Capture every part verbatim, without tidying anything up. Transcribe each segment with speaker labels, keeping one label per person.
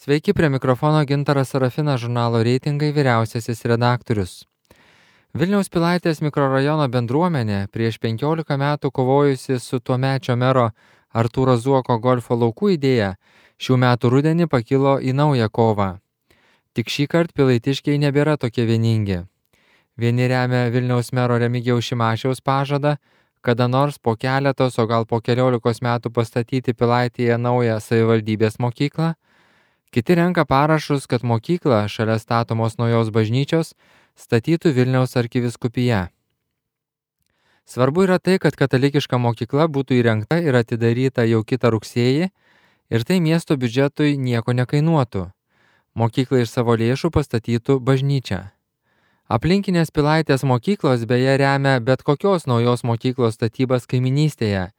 Speaker 1: Sveiki, prie mikrofono Gintaras Sarafinas, žurnalo Reitingai vyriausiasis redaktorius. Vilniaus Pilaitės mikrorajono bendruomenė prieš penkiolika metų kovojusi su tuomečio mero Artūro Zuoko golfo laukų idėja šių metų rudenį pakilo į naują kovą. Tik šįkart pilaitiškiai nebėra tokie vieningi. Vieni remia Vilniaus mero Remigijaus Šimašiaus pažadą, kada nors po keletos, o gal po keliolikos metų pastatyti Pilaitėje naują savivaldybės mokyklą. Kiti renka parašus, kad mokyklą šalia statomos naujos bažnyčios statytų Vilniaus arkivyskupija. Svarbu yra tai, kad katalikiška mokykla būtų įrengta ir atidaryta jau kitą rugsėjį ir tai miesto biudžetui nieko nekainuotų. Mokyklą iš savo lėšų pastatytų bažnyčia. Aplinkinės Pilaitės mokyklos beje remia bet kokios naujos mokyklos statybas kaiminystėje,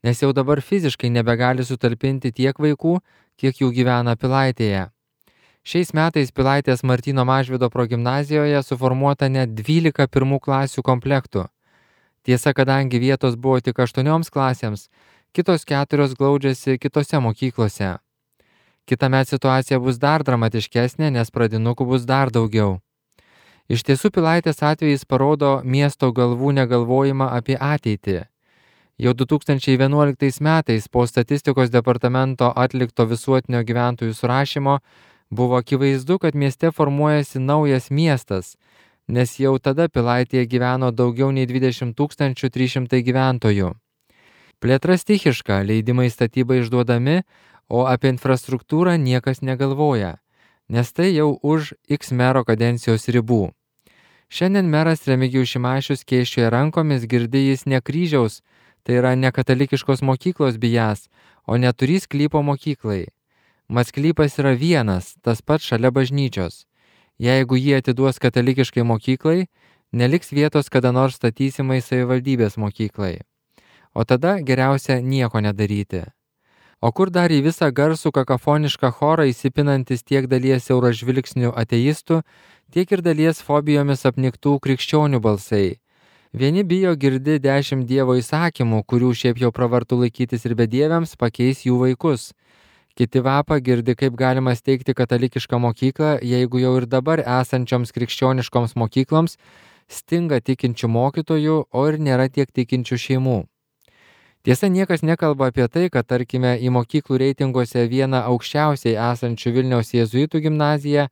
Speaker 1: nes jau dabar fiziškai nebegali sutalpinti tiek vaikų, kiek jų gyvena Pilaitėje. Šiais metais Pilaitės Martyno Mažvydo progimnazijoje suformuota net dvylika pirmų klasių komplektų. Tiesa, kadangi vietos buvo tik aštuonioms klasėms, kitos keturios glaudžiasi kitose mokyklose. Kitąmet situacija bus dar dramatiškesnė, nes pradinukų bus dar daugiau. Iš tiesų Pilaitės atvejis parodo miesto galvų negalvojimą apie ateitį. Jau du tūkstančiai vienuoliktais metais po statistikos departamento atlikto visuotinio gyventojų surašymo buvo akivaizdu, kad mieste formuojasi naujas miestas, nes jau tada Pilaitėje gyveno daugiau nei dvidešimt tūkstančių trys šimtai gyventojų. Plėtra stichiška, leidimai statybai išduodami, o apie infrastruktūrą niekas negalvoja, nes tai jau už X mero kadencijos ribų. Šiandien meras Remigijus Šimašius kėščioja rankomis, girdi jis ne kryžiaus, tai yra ne katalikiškos mokyklos bijas, o neturys sklypo mokyklai. Mat sklypas yra vienas, tas pats šalia bažnyčios. Jeigu jį atiduos katalikiškai mokyklai, neliks vietos kada nors statysimai savivaldybės mokyklai. O tada geriausia nieko nedaryti. O kur dar į visą garsų kakafonišką chorą įsipinantis tiek dalies siauražvilgsnių ateistų, tiek ir dalies fobijomis apniktų krikščionių balsai. Vieni bijo girdi dešimt Dievo įsakymų, kurių šiaip jau pravartu laikytis ir bedieviams, pakeis jų vaikus. Kiti vapa girdi, kaip galima steigti katalikišką mokyklą, jeigu jau ir dabar esančioms krikščioniškoms mokykloms stinga tikinčių mokytojų, o ir nėra tiek tikinčių šeimų. Tiesa, niekas nekalba apie tai, kad tarkime į mokyklų reitinguose vieną aukščiausiai esančių Vilniaus jėzuitų gimnaziją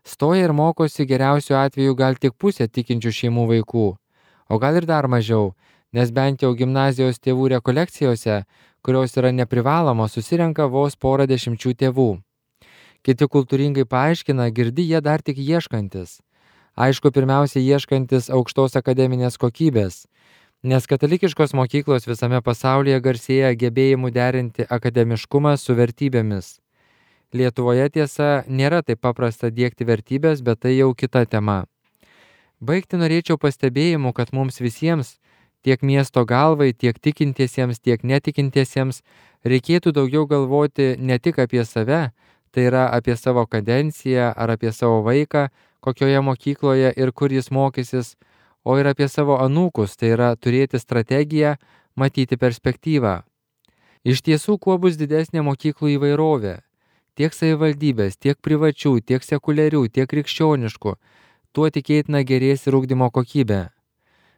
Speaker 1: stoja ir mokosi geriausiu atveju gal tik pusė tikinčių šeimų vaikų, o gal ir dar mažiau, nes bent jau gimnazijos tėvų rekolekcijose, kurios yra neprivalomos, susirenka vos porą dešimčių tėvų. Kiti kultūringai paaiškina, girdi jie dar tik ieškantis. Aišku, pirmiausia ieškantis aukštos akademinės kokybės, nes katalikiškos mokyklos visame pasaulyje garsėja gebėjimu derinti akademiškumą su vertybėmis. Lietuvoje tiesa nėra taip paprasta diegti vertybės, bet tai jau kita tema. Baigti norėčiau pastebėjimu, kad mums visiems, tiek miesto galvai, tiek tikintiesiems, tiek netikintiesiems, reikėtų daugiau galvoti ne tik apie save, tai yra apie savo kadenciją ar apie savo vaiką, kokioje mokykloje ir kur jis mokysis, o ir apie savo anūkus, tai yra turėti strategiją, matyti perspektyvą. Iš tiesų, kuo bus didesnė mokyklų įvairovė, tiek savivaldybės, tiek privačių, tiek sekuliarių, tiek krikščioniškų, tuo tikėtina gerės ir ugdymo kokybė.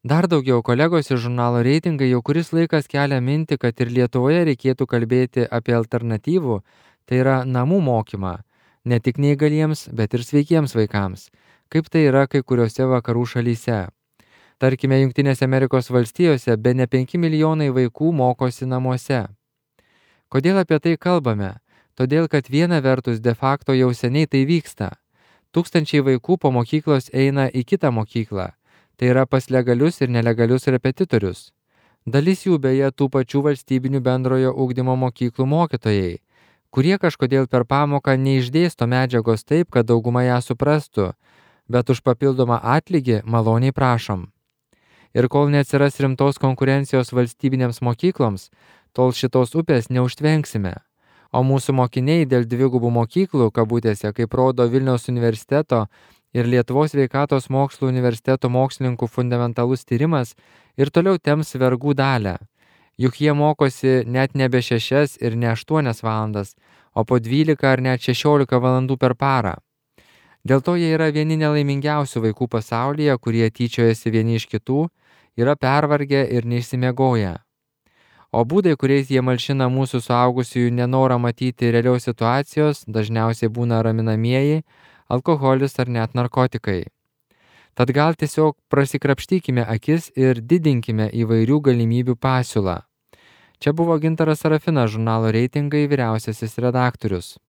Speaker 1: Dar daugiau kolegos iš žurnalo Reitingai jau kuris laikas kelia mintį, kad ir Lietuvoje reikėtų kalbėti apie alternatyvų, tai yra namų mokymą, ne tik neįgaliems, bet ir sveikiems vaikams, kaip tai yra kai kuriuose vakarų šalyse. Tarkime, Jungtinėse Amerikos valstijose bene penki milijonai vaikų mokosi namuose. Kodėl apie tai kalbame? Todėl, kad viena vertus de facto jau seniai tai vyksta. Tūkstančiai vaikų po mokyklos eina į kitą mokyklą, tai yra pas legalius ir nelegalius repetitorius. Dalis jų beje tų pačių valstybinių bendrojo ugdymo mokyklų mokytojai, kurie kažkodėl per pamoką neišdėsto medžiagos taip, kad dauguma ją suprastų, bet už papildomą atlygį maloniai prašom. Ir kol neatsiras rimtos konkurencijos valstybinėms mokykloms, tol šitos upės neužtvenksime. O mūsų mokiniai dėl dvigubų mokyklų, kabutėse, kaip rodo Vilniaus universiteto ir Lietuvos sveikatos mokslų universiteto mokslininkų fundamentalus tyrimas, ir toliau temps vergų dalią. Juk jie mokosi net nebe šešias ir ne aštuonias valandas, o po dvylika ar net šešiolika valandų per parą. Dėl to jie yra vieni nelaimingiausių vaikų pasaulyje, kurie tyčiojasi vieni iš kitų, yra pervargę ir neišsimiegoję. O būdai, kuriais jie malšina mūsų suaugusiųjų nenorą matyti realios situacijos, dažniausiai būna raminamieji, alkoholis ar net narkotikai. Tad gal tiesiog prasikrapštykime akis ir didinkime įvairių galimybių pasiūlą. Čia buvo Gintaras Sarafinas, žurnalo Reitingai vyriausiasis redaktorius.